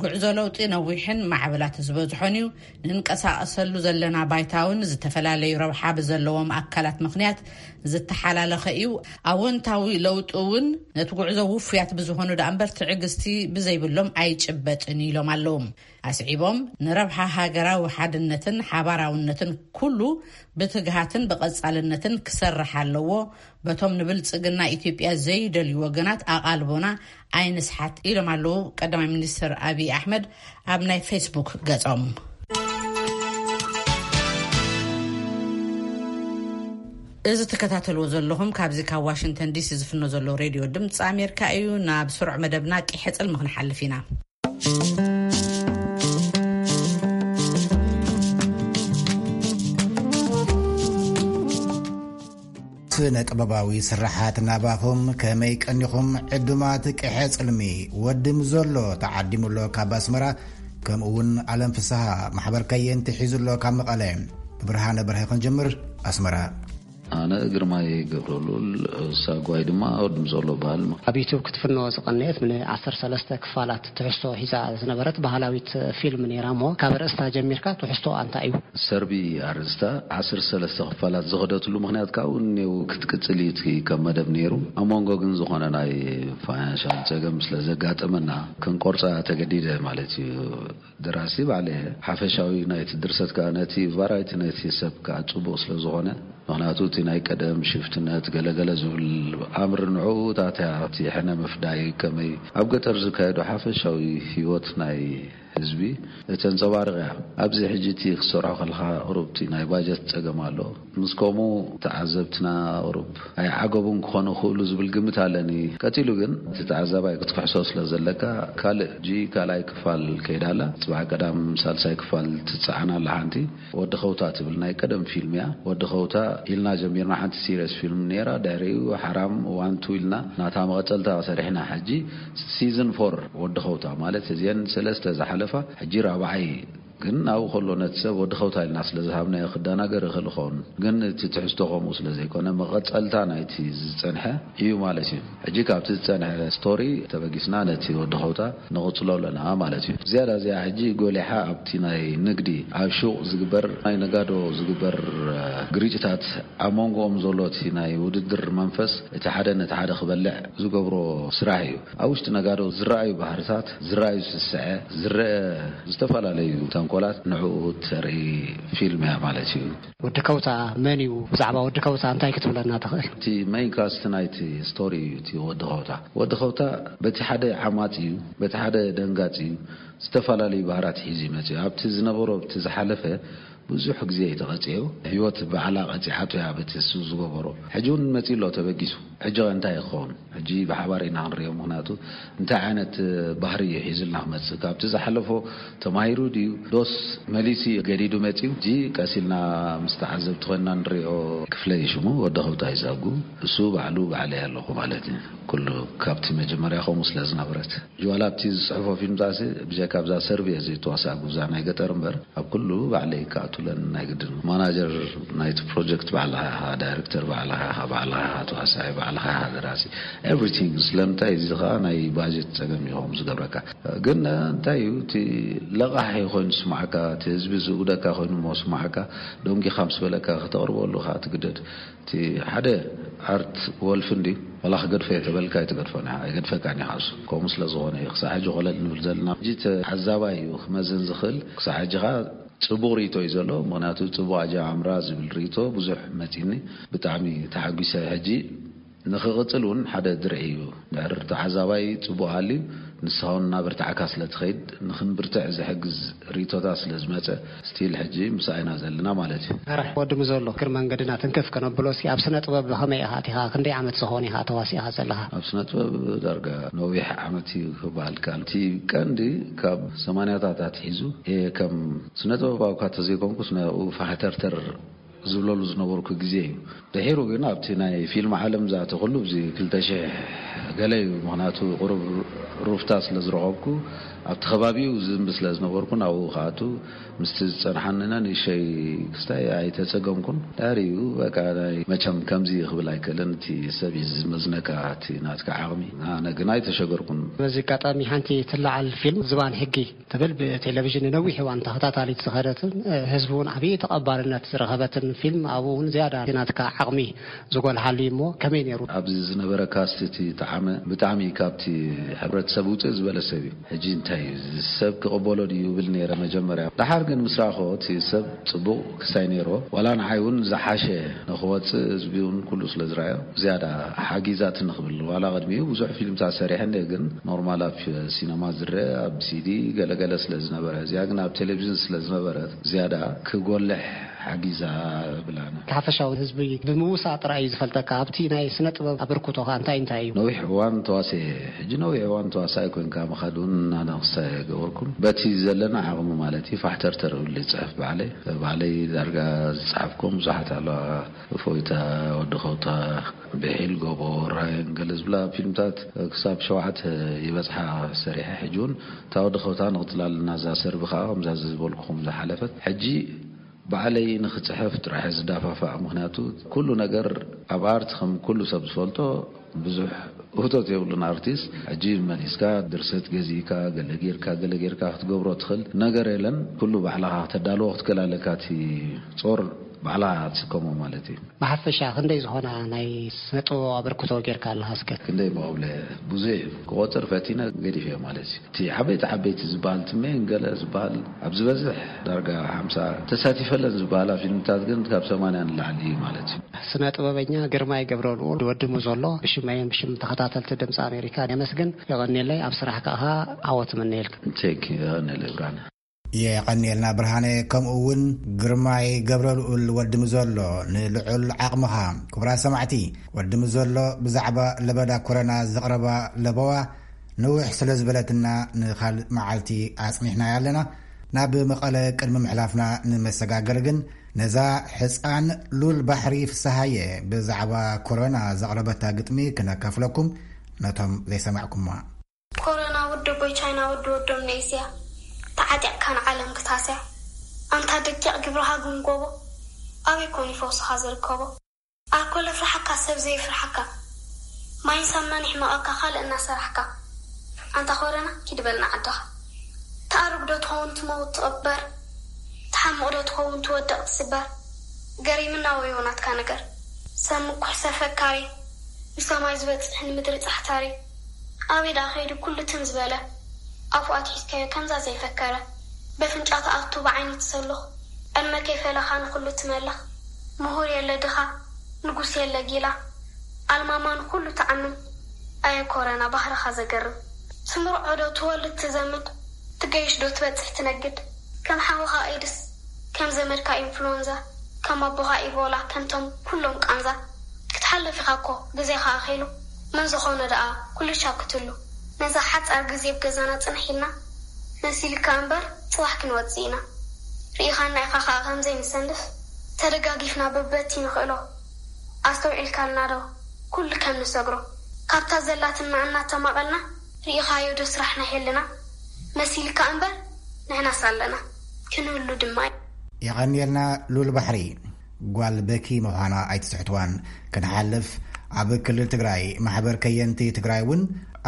ጉዕዞ ለውጢ ነዊሕን ማዕበላት ዝበዝሖን እዩ። ንንቀሳቐሰሉ ዘለና ባይታ እውን ዝተፈላለዩ ረብሓ ብዘለዎም ኣካላት ምኽንያት ዝተሓላለኸ እዩ። ኣወንታዊ ለውጢ እውን ነቲ ጉዕዞ ውፉያት ብዝኾኑ ደኣ እምበር ትዕግስቲ ብዘይብሎም ኣይጭበጥን ኢሎም ኣለዉ። ኣስዒቦም፣ ንረብሓ ሃገራዊ ሓድነትን ሓባራውነትን ኩሉ ብትግሃትን ብቐጻልነትን ክሰርሕ ኣለዎ። በቶም ንብልጽግና ኢትዮጵያ ዘይደልዩ ወገናት ኣቓልቦና ኣይንስሓት ኢሎም ኣለዉ ቀዳማይ ሚኒስትር ኣብይ ኣሕመድ ኣብ ናይ ፌስቡክ ገጾም። እዚ ትከታተልዎ ዘለኹም ካብዚ ካብ ዋሽንግተን ዲሲ ዝፍኖ ዘሎ ሬድዮ ድምፂ ኣሜሪካ እዩ። ናብ ስሩዕ መደብና ቂሐ ጽልሚ ክንሓልፍ ኢና። ስነ ጥበባዊ ስራሓት ናባኹም ከመይ ቀኒኹም ዕዱማት ቂሐ ጽልሚ። ወዲ ምዞሎ ተዓዲሙሎ ካብ ኣስመራ፣ ከምኡ እውን ኣለም ፍስሃ ማሕበር ከየንቲ ሒዙሎ ካብ መቐለ። ብርሃነ በርሀ ክንጀምር። ኣስመራ። ኣነ ግርማይ ገብረሉል ሳጓይ ድማ ወዲ ምዞሎ በሃል። ኣብ ዩቱብ ክትፍኖ ዝቐነየት ን ዓሰርተ ሰለስተ ክፋላት ትሕዝቶ ሒዛ ዝነበረት ባህላዊት ፊልም ነይራ እሞ ካብ ርእስታ ጀሚርካ ትሕዝቶ ኣንታ እዩ? ሰርቢ ኣርእስታ ዓሰርተ ሰለስተ ክፋላት ዝኸደትሉ ምኽንያት ካብኡ እኔው ክትቅጽል እዩ እቲ ከም መደብ ነይሩ። ኣብ መንጎ ግን ዝኾነ ናይ ፋይናንሻል ጸገም ስለ ዘጋጠመና ክንቆርጻ ተገዲደ ማለት እዩ። ደራሲ ባዕለ ሓፈሻዊ ናይቲ ድርሰት ከኣ ነቲ ቫራይቲ ናይቲ ሰብ ከኣ ጽቡቕ ስለ ዝኾነ፣ ምኽንያቱ እቲ ናይ ቀደም ሽፍትነት ገለገለ ዝብል ኣምር ንዕኡ ታትያ እቲ ሕነ ምፍዳይ ከመይ ኣብ ገጠር ዝካየዱ ሓፈሻዊ ህይወት ናይ ህዝቢ እተንጸባርቕ እያ። ኣብዚ ሕጂ እቲ ክትሰርሖ ከለኻ ቁሩብ እቲ ናይ ባጀት ጸገም ኣሎ። ምስ ከምኡ ተዓዘብትና ቁሩብ ኣይዓገቡን ክኾኑ ክኽእሉ ዝብል ግምት ኣለኒ። ቀጺሉ ግን እቲ ተዓዛባይ ክትክሕሶ ስለ ዘለካ ካልእ ሕጂ ካልኣይ ክፋል ከይዳ ኣላ። ጽባሕ ቀዳም ሳልሳይ ክፋል ትጸዓና ኣላ ሓንቲ። ወዲ ኸውታ ትብል ናይ ቀደም ፊልም እያ። ወዲ ኸውታ ኢልና ጀሚርና ሓንቲ ሲሪየስ ፊልም ነይራ። ድሕሪኡ ሓራም ዋን ቱ ኢልና ናታ መቐጸልታ ሰሪሕና። ሕጂ ሲዝን ፎር ወዲ ኸውታ ማለት እዚአን ሰለስተ ዝሓለፋ ሕጂ ራብዓይ ግን ኣብኡ ከሎ ነቲ ሰብ ወዲ ኸውታ ኢልና ስለ ዝሃብናዮ ክደናገር ይኽእል ይኸውን። ግን እቲ ትሕዝቶ ከምኡ ስለ ዘይኮነ መቐጸልታ ናይቲ ዝጸንሐ እዩ ማለት እዩ። ሕጂ ካብቲ ዝጸንሐ ስቶሪ ተበጊስና ነቲ ወዲ ኸውታ ንቕጽሎ ኣለና ማለት እዩ። ዝያዳ እዚኣ ሕጂ ጎሊሓ ኣብቲ ናይ ንግዲ ኣብ ሹቕ ዝግበር ናይ ነጋዶ ዝግበር ግርጭታት ኣብ መንጎኦም ዘሎ እቲ ናይ ውድድር መንፈስ እቲ ሓደ ነቲ ሓደ ክበልዕ ዝገብሮ ስራሕ እዩ። ኣብ ውሽጢ ነጋዶ ዝረኣዩ ባህርታት፣ ዝረኣዩ ስስዐ፣ ዝረአ ዝተፈላለዩ ተንኮላት ንዕኡ ተርኢ ፊልም እያ ማለት እዩ። ወዲ ከውታ መን እዩ? ብዛዕባ ወዲ ከውታ እንታይ ክትብለና ትኽእል? እቲ ሜይን ካስት ናይቲ ስቶሪ እዩ እቲ ወዲ ከውታ። ወዲ ከውታ በቲ ሓደ ዓማጺ እዩ፣ በቲ ሓደ ደንጋጺ እዩ። ዝተፈላለዩ ባህራት ሒዙ ይመጽእ እዩ። ኣብቲ ዝነበሮ፣ ኣብቲ ዝሓለፈ ብዙሕ ግዜ እዩ ተቐጺዑ። ህይወት ባዕላ ቀጺዓቶ እያ በቲ እሱ ዝገበሮ። ሕጂ እውን መጺኡ ኣሎ ተበጊሱ። ሕጂ ኸ እንታይ ክኸውን? ሕጂ ብሓባር ኢና ክንሪኦ። ምኽንያቱ እንታይ ዓይነት ባህሪ እዩ ሒዙልና ክመጽእ? ካብቲ ዝሓለፎ ተማሂሩ ድዩ? ዶስ መሊሱ እዩ ገዲዱ መጺኡ? ሕጂ ቀስ ኢልና ምስ ተዓዘብቲ ኮይንና ንሪኦ። ክፍለይ ሽሙ ወዲ ኸውታ ይዛጉ። እሱ ባዕሉ ባዕለይ ኣለኹ ማለት እዩ። ኩሉ ካብቲ መጀመርያ ከምኡ ስለ ዝነበረት። ዋላ ኣብቲ ዝጽሕፎ ፊልምታሲ ብጀካ ኣብዛ ሰርቪ እየ ዘይተዋሳእኩ፣ እዛ ናይ ገጠር እምበር፣ ኣብ ኩሉ ባዕለይ ክኣቱለን ናይ ግድን። ማናጀር ናይቲ ፕሮጀክት ባዕልኻ ኢኻ፣ ዳይሬክተር ባዕልኻ ኢኻ፣ ባዕልኻ ኢኻ ተዋሳኢ፣ ባዕልኻ ኢኻ ደራሲ፣ ኤቭሪቲንግ። ስለምንታይ? እዚ ኸኣ ናይ ባጀት ጸገም እዩ ከምኡ ዝገብረካ። ግን እንታይ እዩ እቲ ለቓሕ ኮይኑ ዝስምዓካ፣ እቲ ህዝቢ ዝእውደካ ኮይኑ እሞ ዝስምዓካ፣ ደንጊኻ ምስ በለካ ከተቕርበሉ ኸኣ ትግደድ። እቲ ሓደ ኣርት ወልፍ እንድዩ፣ ዋላ ክገድፎ እየ ተበልካ ኣይትገድፎን ኢኻ፣ ኣይገድፈካን እዩ። ካብሱ ከምኡ ስለ ዝኾነ እዩ ክሳዕ ሕጂ ኮለል ንብል ዘለና። ሕጂ ተዓዛባይ እዩ ክመዝን ዝኽእል። ክሳዕ ሕጂ ኸኣ ጽቡቕ ርእይቶ እዩ ዘሎ። ምኽንያቱ ጽቡቕ ኣጀማምራ ዝብል ርእይቶ ብዙሕ መጺኒ። ብጣዕሚ ተሓጒሰ። ሕጂ ንኽቕጽል እውን ሓደ ድርዒ እዩ። ድሕሪ ተዓዛባይ ጽቡቕ ሃልዩ ንስኻ እውን እናበርታዕካ ስለ ትኸይድ፣ ንኽንብርትዕ ዝሕግዝ ርእይቶታት ስለ ዝመጸ፣ ስቲል ሕጂ ምሳእ ኢና ዘለና ማለት እዩ። ኣረ፣ ወዲ ምዞሎ፣ እግሪ መንገድና ትንክፍ ከነብሎ እስኪ፣ ኣብ ስነ ጥበብ ከመይ ኢኻ ኣቲኻ? ክንደይ ዓመት ዝኾን ኢኻ ተዋሲእኻ ዘለኻ? ኣብ ስነ ጥበብ ዳርጋ ነዊሕ ዓመት እዩ ክበሃል ይከኣል። እቲ ቀንዲ ካብ ሰማንያታት ኣትሒዙ እየ ከም ስነ ጥበባዊ እኳ ተዘይኮንኩስ፣ ናብኡ ፋሕተርተር ዝብለሉ ዝነበርኩ ግዜ እዩ። ድሒሩ ግን ኣብቲ ናይ ፊልም ዓለም ዝኣተኹሉ፣ ኣብዚ ክልተ ሽሕ ገለ እዩ። ምኽንያቱ ቁሩብ ሩፍታ ስለ ዝረኸብኩ፣ ኣብቲ ከባቢኡ ዝንቢ ስለ ዝነበርኩ፣ ናብኡ ክኣቱ ምስቲ ዝጸንሓኒ ንእሽተይ ክስታይ ኣይተጸገምኩን። ድሕሪኡ በቃ ናይ መቸም ከምዚ ክብል ኣይክእልን፣ እቲ ሰብ እዩ ዝመዝነካ፣ እቲ ናትካ ዓቕሚ። ኣነ ግን ኣይተሸገርኩን። በዚ ኣጋጣሚ ሓንቲ ትለዓል ፊልም ዝባን ሕጊ ትብል ብቴሌቪዥን ንነዊሕ እዋን ተኸታታሊት ዝኸደትን፣ እ፣ ህዝቢ እውን ዓብዪ ተቐባልነት ዝረኸበትን ፊልም፣ ኣብኡ እውን ዝያዳ ናትካ ዓቕሚ ዝጎልሓሉ እዩ እሞ ከመይ ነይሩ? ኣብዚ ዝነበረ ካስት እቲ ጠዓመ ብጣዕሚ ካብቲ ሕብረተሰብ ውፅእ ዝበለ ሰብ እዩ። ሕጂ እንታይ እዩ፣ እዚ ሰብ ክቕበሎ ድዩ ይብል ነይረ መጀመርያ። ደሓር ግን ምስ ረኣኽዎ እቲ ሰብ ፅቡቕ ክስታይ ነይርዎ። ዋላ ንዓይ እውን ዝሓሸ ንኽወፅእ ህዝቢ እውን ኩሉ ስለ ዝረኣዮ ዝያዳ ሓጊዛትኒ ክብል። ዋላ ቅድሚኡ ብዙሕ ፊልምታት ሰሪሐ እንድየ፣ ግን ኖርማል ኣብ ሲነማ ዝረአ ኣብ ሲዲ ገለገለ ስለ ዝነበረ፣ እዚኣ ግን ኣብ ቴሌቪዥን ስለ ዝነበረት ዝያዳ ክጎልሕ ሓጊዛ ብላና። ሓፈሻዊ ህዝቢ ብምውሳእ ጥራይ እዩ ዝፈልጠካ። ኣብቲ ናይ ስነ ጥበብ ኣበርክቶኻ እንታይ እንታይ እዩ? ነዊሕ እዋን ተዋስኤ፣ ሕጂ ነዊሕ እዋን ተዋሳኢ ኮንካ ምኻድ እውን ኣነቕሳ ኣይገበርኩን። በቲ ዘለና ዓቕሚ ማለት እዩ፣ ፋሕተርተር እብል ይጽሕፍ ባዕለይ። ባዕለይ ዳርጋ ዝጸሓፍኩም ብዙሓት ኣለዋ። እፎይታ፣ ወዲ ኸውታ፣ ብሒል ጎቦ፣ ራየን ገለ ዝብላ ፊልምታት ክሳብ ሸውዓተ ይበጽሓ ሰሪሐ። ሕጂ እውን እታ ወዲ ኸውታ ንቕጽላ ኣለና። እዛ ሰርቢ ከኣ ከምዛ ዝበልኩኹም ዝሓለፈት። ሕጂ ባዕለይ ንኽጽሕፍ ጥራሕ ዝዳፋፋእ፣ ምኽንያቱ ኩሉ ነገር ኣብ ኣርት ከም ኩሉ ሰብ ዝፈልጦ ብዙሕ ውህቶት የብሉን። ኣርቲስት ሕጂ መሊስካ ድርሰት ገዚእካ፣ ገለ ጌርካ፣ ገለ ጌርካ ክትገብሮ ትኽእል ነገር የለን። ኩሉ ባዕልኻ ከተዳልዎ ክትክእል ኣለካ። እቲ ጾር ባዕልኻ ትስከሞ ማለት እዩ። ብሓፈሻ ክንደይ ዝኾና ናይ ስነ ጥበብ ኣበርክቶ ጌርካ ኣለኻ እስከ? ክንደይ መቐብለ ብዙሕ እዩ። ክቆጽር ፈቲነ ገዲፈዮ ማለት እዩ። እቲ ዓበይቲ ዓበይቲ ዝበሃል፣ እቲ ሜን ገለ ዝበሃል፣ ኣብ ዝበዝሕ ዳርጋ ሓምሳ ተሳቲፈለን ዝበሃላ ፊልምታት ግን ካብ ሰማንያ ንላዕሊ እዩ ማለት እዩ። ስነ ጥበበኛ ግርማይ ገብረልኡል ወዲ ሙዞሎ፣ ብሽመይን ብሽም ተኸታተልቲ ድምፂ ኣሜሪካ የመስግን። የቐንየለይ። ኣብ ስራሕ ከኣ ዓወት እምነየልካ። ቴክ፣ የቐንየለይ ብርሃነ። የቐንየልና ብርሃነ፣ ከምኡ እውን ግርማይ ገብረልኡል ወዲ ሙዞሎ፣ ንልዑል ዓቕምኻ። ክቡራት ሰማዕቲ፣ ወዲ ሙዞሎ ብዛዕባ ለበዳ ኮረና ዘቕረባ ለበዋ ንውሕ ስለ ዝበለትና ንኻልእ መዓልቲ ኣጽኒሕናያ ኣለና። ናብ መቐለ ቅድሚ ምሕላፍና ንመሰጋገሪ ግን ነዛ ሕጻን ሉል ባሕሪ ፍስሃየ ብዛዕባ ኮሮና ዘቕረበታ ግጥሚ ክነካፍለኩም ነቶም ዘይሰማዕኩማ። ኮሮና ወዲ ኣቦይ ቻይና ወዲ ወዶም ንእስያ ተዓጢቕካ ንዓለም ክታስያ ኣንታ ደቂቕ ግብርኻ ግምጎቦ ኣበይ ኮን ይፈውስኻ ዝርከቦ ኣኮለ ፍርሓካ ሰብ ዘይፍርሓካ ማይን ሳምናን ይሕመቐካ ካልእ እናሰራሕካ ኣንታ ኮረና ኪድ በልና ዓድኻ ትኣርግ ዶ ትኸውን ትመውት ትቕበር ትሓምቕ ዶ ትኸውን ትወድቕ ትስበር ገሪምና ወዮ ናትካ ነገር ሰብ ምኩሕ ሰብ ፈካሪ ንሰማይ ዝበጽሕ ንምድሪ ጻሕታሪ ኣበይ ደኣ ከይዱ ኩሉ ትም ዝበለ ኣፉ ኣትሒዝካዮ ከምዛ ዘይፈከረ በፍንጫ ትኣቱ ብዓይኒ ትሰሉኽ ዕድመ ከይፈለኻ ንኹሉ ትመልኽ ምሁር የለ ድኻ ንጉስ የለ ጊላ ኣልማማ ንኹሉ ትዓምም ኣየ ኮረና ባህርኻ ዘገርም ትምርዖ ዶ ትወልድ ትዘምድ ትገይሽ ዶ ትበጽሕ ትነግድ ከም ሓውኻ ኤድስ ከም ዘመድካ ኢንፍሉወንዛ ከም ኣቦኻ ኢቦላ ከምቶም ኩሎም ቃንዛ ክትሓልፍ ኢኻ እኮ ግዜኻ ኣኺሉ መን ዝኾነ ደኣ ኩሉ ሻክትሉ ነዛ ሓጻር ግዜ ብገዛና ጽንሕ ኢልና መሲልካ እምበር ጽባሕ ክንወጽእ ኢና ርኢኻና ኢኻ ከኣ ከም ዘይንሰንፍ ተደጋጊፍና በበቲ ንኽእሎ ኣስተውዒልካልና ዶ ኩሉ ከም ንሰግሮ ካብታ ዘላትና እናተማቐልና ርኢኻዮ ዶ ስራሕና ሄልና መሲልካ እምበር ንሕናስ ኣለና ክንህሉ ድማ እዩ። የቐንየልና ሉል ባሕሪ። ጓል በኪ ምዃና ኣይትስሕትዋን። ክንሓልፍ ኣብ ክልል ትግራይ ማሕበር ከየንቲ ትግራይ እውን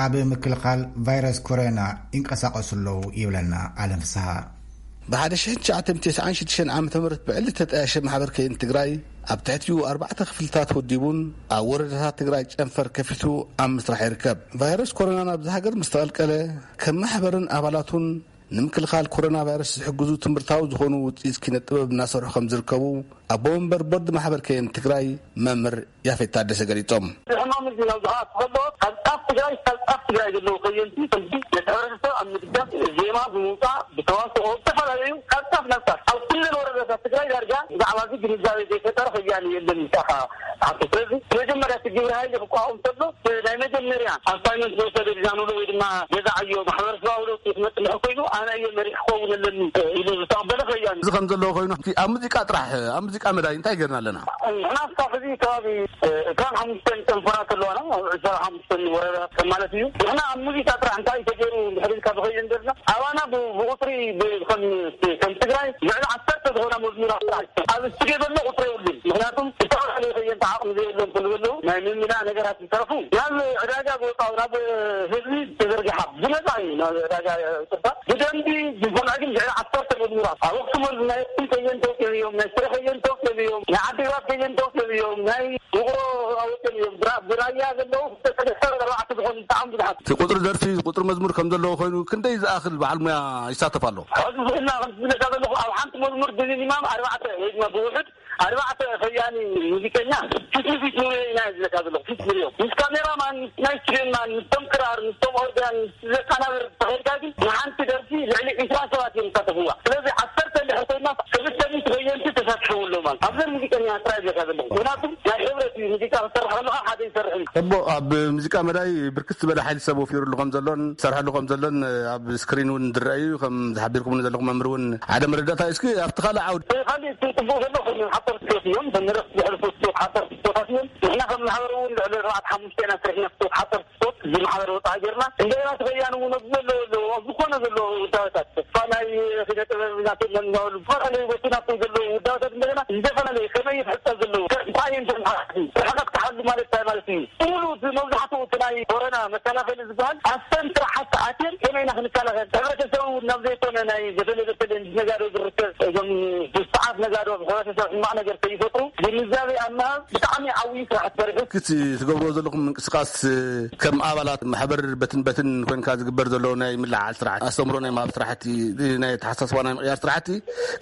ኣብ ምክልኻል ቫይረስ ኮሮና ይንቀሳቐሱ ኣለዉ ይብለና ኣለም ፍስሃ። ብ1996 ዓመተ ምህረት ብዕሊ ተጣየሸ ማሕበር ከየንቲ ትግራይ ኣብ ትሕቲኡ ኣርባዕተ ክፍልታት ወዲቡን ኣብ ወረዳታት ትግራይ ጨንፈር ከፊቱ ኣብ ምስራሕ ይርከብ። ቫይረስ ኮሮና ናብዚ ሃገር ምስ ተቐልቀለ ከም ማሕበርን ኣባላቱን ንምክልኻል ኮሮና ቫይረስ ዝሕግዙ ትምህርታዊ ዝኾኑ ውፅኢት ኪነ ጥበብ እናሰርሑ ከም ዝርከቡ ኣቦ ወንበር ቦርድ ማሕበር ከየንቲ ትግራይ መምህር ያፌት ታደሰ ገሊፆም። ሕማም እዚ ናብ ዝኣቱ ከሎ ካብ ጫፍ ትግራይ ካብ ጫፍ ትግራይ ዘለዉ ከየንቲ ከምዚ ነቲ ሕብረተሰብ ኣብ ምድጋፍ ዜማ ብምውፃእ ብተዋስኦ ዝተፈላለዩ ካብ ጫፍ ናብ ጫፍ ኣብ ኩለን ወረዳታት ትግራይ ዳርጋ ብዛዕባ እዚ ግንዛቤ ዘይፈጠረ ከያኒ የለን ኢልካ ኢኻ ትሓቶ። ስለዚ መጀመርያ እቲ ግብረ ሃይሊ ክቋቋም ከሎ ናይ መጀመርያ ኣሳይመንት ዝወሰደ ዲና ንብሎ ወይ ድማ ገዛ ዕዮ ማሕበረሰባዊ ለውጢ ክመፅእ እንድሕር ኮይኑ ኣነ እየ መሪሕ ክኸውን ኣለኒ ኢሉ ዝተቐበለ ከያኒ። እዚ ከም ዘለዎ ኮይኑ እቲ ኣብ ሙዚቃ ጥራሕ ኣብ ሙዚቃ መዳይ እንታይ ገርና ኣለና? ንሕና እስካብ ሕዚ ከባቢ ዕስራን ሓሙሽተን ጨንፈራት ኣለዋና ኣብ ዕስራን ሓሙሽተን ወረዳታት ማለት እዩ። ንሕና ኣብ ሙዚቃ ጥራሕ እንታይ ተገይሩ እንድሕር ኢልካ ብኸይድ እንደርና ኣባና ብ- ብቁፅሪ ብ- ከም ከም ትግራይ ልዕሊ ዓሰርተ ዝኾና መዝሙራት ጥራሕ ኣብ ስቱድዮ ዘሎ ቁፅሪ የብሉን። ምክንያቱም ዝተፈላለዩ ከየንቲ ዓቕሚ ዘየብሎም ስለ ዘለዉ ናይ ምምላእ ነገራት ዝተረፉ ናብ ዕዳጋ ዝወፃኡ ናብ ህዝቢ ተዘርጊሓ ብነፃ እዩ ናብ ዕዳጋ ይወፅእ። ብደንቢ ዝሰምዐ ግን ልዕሊ ዓሰርተ መዝሙራት ኣብ ኣክሱም ወልድ ናይ ኣክሱም ከየንቲ ወፂኦም እዮም፣ ናይ ሽረ ከየንቲ ወፂኦም እዮም፣ ናይ ዓዲግራት ከየንቲ ወፂኦም እዮም፣ ናይ ውቕሮ ወፂኦም እዮም። ብራ- ብራያ ዘለዉ ክልተ ሰለስተ ኣርባዕተ ዝኾኑ ብጣዕሚ ብዙሓት። እቲ ቁፅሪ ደርፊ ቁፅሪ መዝሙር ከም ዘለዎ ኮይኑ ክንደይ ዝኣኽል በዓል ሙያ ይሳተፍ ኣሎ? ሕዚ ዝብልና ከም ዝብለካ ዘለኹ ኣብ ሓንቲ መዝሙር ብሚኒማም ኣርባዕተ ወይ ድማ ብውሕድ ኣርባዕተ ከያኒ ሙዚቀኛ ፊት ንፊት ንሪኦ ኢና ዝብለካ ዘለኹ። ፊት ንሪኦ ምስ ካሜራማን ምስ ናይ ስቱድዮማን ምስቶም ክራር ምስቶም ኦርጋን ምስ ዘቃናብር ተኸይድካ ግን ንሓንቲ ደርፊ ልዕሊ ዕስራ ሰባት እዮም ዝሳተፍዋ። ስለዚ ዓሰርተ እንድሕር ኮይና ክልተ ሚእቲ ከየንቲ ተሳትፍዎ። ኣብዘን ሙዚቀኛ ጥራይ ጌርካ ዘለኹ። ምኽንያቱ ናይ ሕብረት እዩ። ሙዚቃ ክትሰርሕ ከለኻ ሓደ ይሰርሕ እዩ። እቦ፣ ኣብ ሙዚቃ መዳይ ብርክት ዝበለ ሓይሊ ሰብ ወፊሩሉ ከም ዘሎን ዝሰርሐሉ ከም ዘሎን ኣብ ስክሪን እውን ዝረአ እዩ። ከም ዝሓቢርኩምኒ ዘለኹም መምህር እውን ሓደ መረዳእታ እዩ። እስኪ ኣብቲ ካልእ ዓውዲ። እቲ ካልእ እቲ ጽቡቕ ዘሎ ኮይኑ ሓፀርቲ እዮም። በንረኽ ዘሕልፉ ሓፀርቲ እዮም። ንሕና ከም ማሕበር እውን ልዕሊ ኣርባዕተ ሓሙሽተ ኢና ስርሕና ሓፀርቲ ስፖርት እዚ ማሕበር ወፃኢ ጌርና። እንደገና ተኸያኒ እውን ኣብዚ ዘለዎ ኣለዉ፣ ኣብ ዝኾነ ዘለዉ ውዳበታት፣ ተስፋ ናይ ኪነ ጥበብ ናቶም መናወሉ፣ ዝተፈላለዩ ቦቲ ናቶም ዘለዉ ውዳበታት እንደገና ዝተፈላለዩ ከመይ ይሕፀብ ዘለዉ፣ ከ-፣ እንታይ እዮም እቶም ሓሓቲ፣ ርሕቀት ክሓሉ ማለት እንታይ ማለት እዩ? ሙሉ እቲ መብዛሕትኡ እቲ ናይ ኮሮና መከላኸሊ ዝበሃል ኣብተን ስራሓት ኣትየን ከመይ ኢና ክንከላኸል፣ ሕብረተሰብ እውን ናብ ዘይኮነ ናይ በተለይ በተለይ ነጋዶ ዝርከብ እዞም ስርዓት ነጋዶ ኣብ ሕብረተሰብ ሕማቕ ነገር ከይፈጥሩ ግንዛቤ ኣብ ምሃብ ብጣዕሚ ዓብዪ ስራሕ ተሰሪሑ። ክቲ ትገብርዎ ዘለኹም ምንቅስቃስ፣ እ፣ ከም ኣባላት ማሕበር በትን በትን ኮንካ ዝግበር ዘሎ ናይ ምልዓል ስራሕቲ፣ ኣስተምሮ ናይ ምሃብ ስራሕቲ፣ ናይ ተሓሳስባ ናይ ምቕያር ስራሕቲ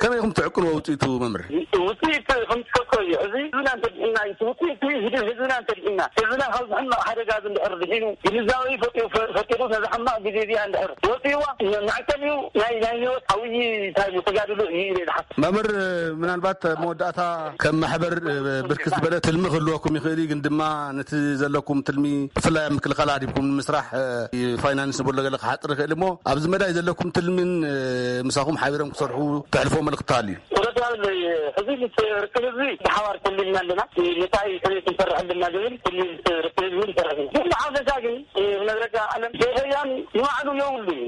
ከመይ ኢኹም ትዕቅንዎ ውፅኢቱ መምህር? ውፅኢት ከም ትፈልጦ እዩ። እዚ ህዝብና እንተድሕና እዩ። እቲ ውፅኢት ህዝቢ፣ ህዝብና እንተድሕና፣ ህዝብና ካብ ሕማቕ ሓደጋ እዚ እንድሕር ድሒኑ፣ ግንዛቤ ፈጢሩ፣ ፈ-፣ ፈጢሩ ነዛ ሕማቕ ግዜ እዚኣ እንድሕር ወፂእዋ፣ መዕቀኒኡ ናይ፣ ናይ ህይወት ዓብዪ እንታይ እዩ ተጋድሎ እዩ ኢለ ዝሓስብ። መምህር፣ ምናልባት መወዳእታ ከም ማሕበር፣ እ፣ ብርክት ዝበለ ትልሚ ክህልወኩም ይኽእል እዩ፣ ግን ድማ ነቲ ዘለኩም ትልሚ ብፍላይ ኣብ ምክልኻል ኣዲብኩም ንምስራሕ፣ እ፣ ፋይናንስ ንብሎ ገለ ክሓጥር ይኽእል እሞ ኣብዚ መዳይ ዘለኩም ትልምን፣ እ፣ ምሳኹም ሓቢሮም ክሰርሑ ተሕልፎ መልእኽቲ ኣሎ እዩ? እውነት ይሃብለይ፣ ሕዚ ምስ ርክብ ህዝቢ ብሓባር ተሊምና ኣለና። እንታይ ከመይ ክንሰርሕ ኣለና ዝብል ትልሚ ምስ ርክብ ህዝቢ ንሰርሕ ኢና። ግን ብሓፈሻ ግን፣ እ፣ ነግረካ ኣለም፣ ዘይሕያን ንባዕሉ የብሉን።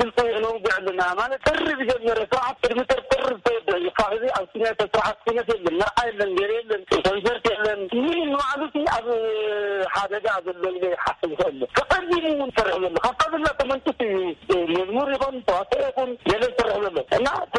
ግልፂ ነውግዕ ኣለና ማለት ጥሪ ዝጀመረ ስርዓት ቅድሚ ጥሪ፣ ጥሪ ዝተወደአ እዩ። ካብ ሕዚ ኣብ ኩነት ስርዓት ኩነት የለን፣ መርዓ የለን፣ ገለ የለን፣ ኮንሰርት የለን። ምንም ንባዕሉ እቲ ኣብ ሓደጋ ዘሎ ኢለ ይሓስብ ይኽእል። ተቐዲሙ እውን ዝሰርሕ ዘሎ ካብታ ዘላ ተመንጭት እዩ። መዝሙር ይኹን ተዋስኦ ይኹን ገለ ዝሰርሕ ዘሎ እና እቲ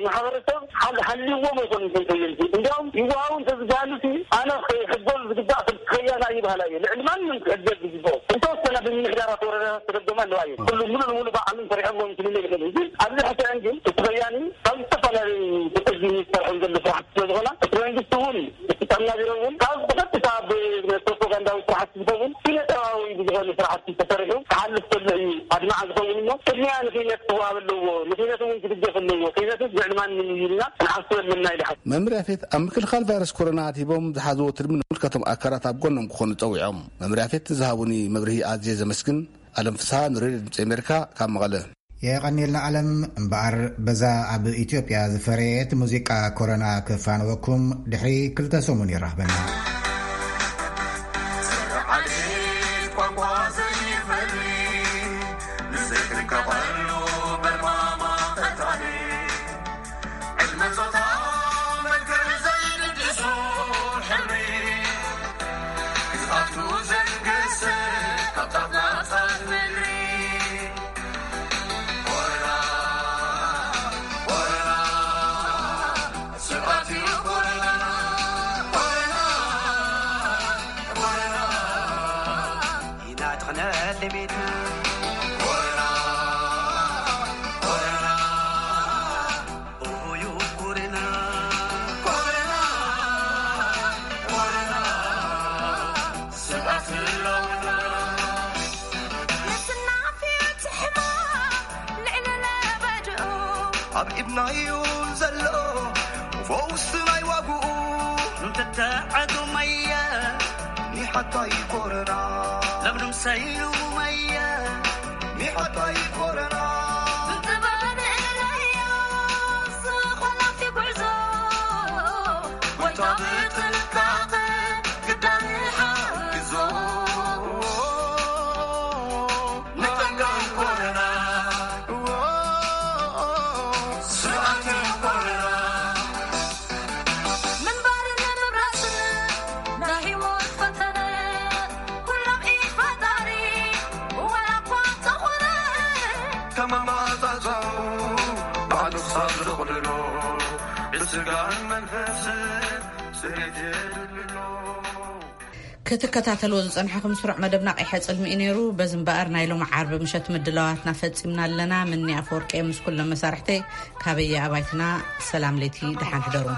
ማሕበረሰብ ሓል-፣ ሓልይዎም ኣይኮኑን እቶም ከየንቲ። እንዲያውም ይወሃቡ እንተዝበሃሉ ሲ ኣነ ክሕገዝ ዝግባእ ከም ከያና ይበሃላ እየ። ልዕሊ ማንም ክሕገዝ ዝግባኦ እንተወሰነ ብምምሕዳራት ወረዳታት ተደጎማ ኣለዋ እየ። ኩሉ ሙሉ ንሙሉ ባዕሎም ሰሪሖም ክልል የብለን። ግን ኣብዚ ሕሰአን ግን እቲ ከያኒ ካብ ዝተፈላለዩ ብቅዲ ዝሰርሖም ዘሎ ስራሕቲ ስለ ዝኾና እቲ መንግስቲ እውን እቲ ጥዕና ቢሮ እውን ካብ ብቐጥታ ብፕሮፓጋንዳዊ ስራሕቲ ዝኸውን ስነ ጥበባዊ ብዝኾነ ስራሕቲ ተሰሪሑ ክሓልፍ ከሎ እዩ ኣድማዕ ዝኸውን እሞ ቅድሚያ ንኺነት ክወሃብ ኣለዎ። ንኺነት እውን ክድገፍ ኣለዎ። ኺነትስ ልዕሊ ማንም እዩ ኢልና ክንሓስብ ኣለና ኢለ ሓስብ። መምህር ያፌት ኣብ ምክልኻል ቫይረስ ኮሮና ኣድሂቦም ዝሓዝዎ ትልሚ ንምልከቶም ኣካላት ኣብ ጎኖም ክኾኑ ጸዊዖም። መምህር ያፌት ንዝሃቡኒ መብርሂ ኣዝየ ዘመስግን። ኣለም ፍስሃ ንሬድዮ ድምፂ ኣሜሪካ ካብ መቐለ። የቐንየልና ኣለም። እምበኣር በዛ ኣብ ኢትዮጵያ ዝፈረየት ሙዚቃ ኮሮና ክፋነወኩም ድሕሪ ክልተ ሰሙን ይራኽበና። ኣብ ኢድናዩ ዘሎ ፈውሲ ናይ ዋግኡ እንተተዓዱ መየ ኒሓታይ ኮረና ለምለም ሰይሉ መየ ኒሓታይ ኮረና ክትከታተልዎ ዝጸንሐኹም ስሩዕ መደብና ቀይሐ ጽልሚ እዩ ነይሩ። በዚ እምበኣር ናይ ሎሚ ዓርቢ ምሸት ምድላዋትና ፈጺምና ኣለና። ምኒ ኣፈወርቂ ምስ ኩሎም መሳርሕተይ ካበየ ኣባይትና ሰላም ለይቲ ደሓን ሕደሩ።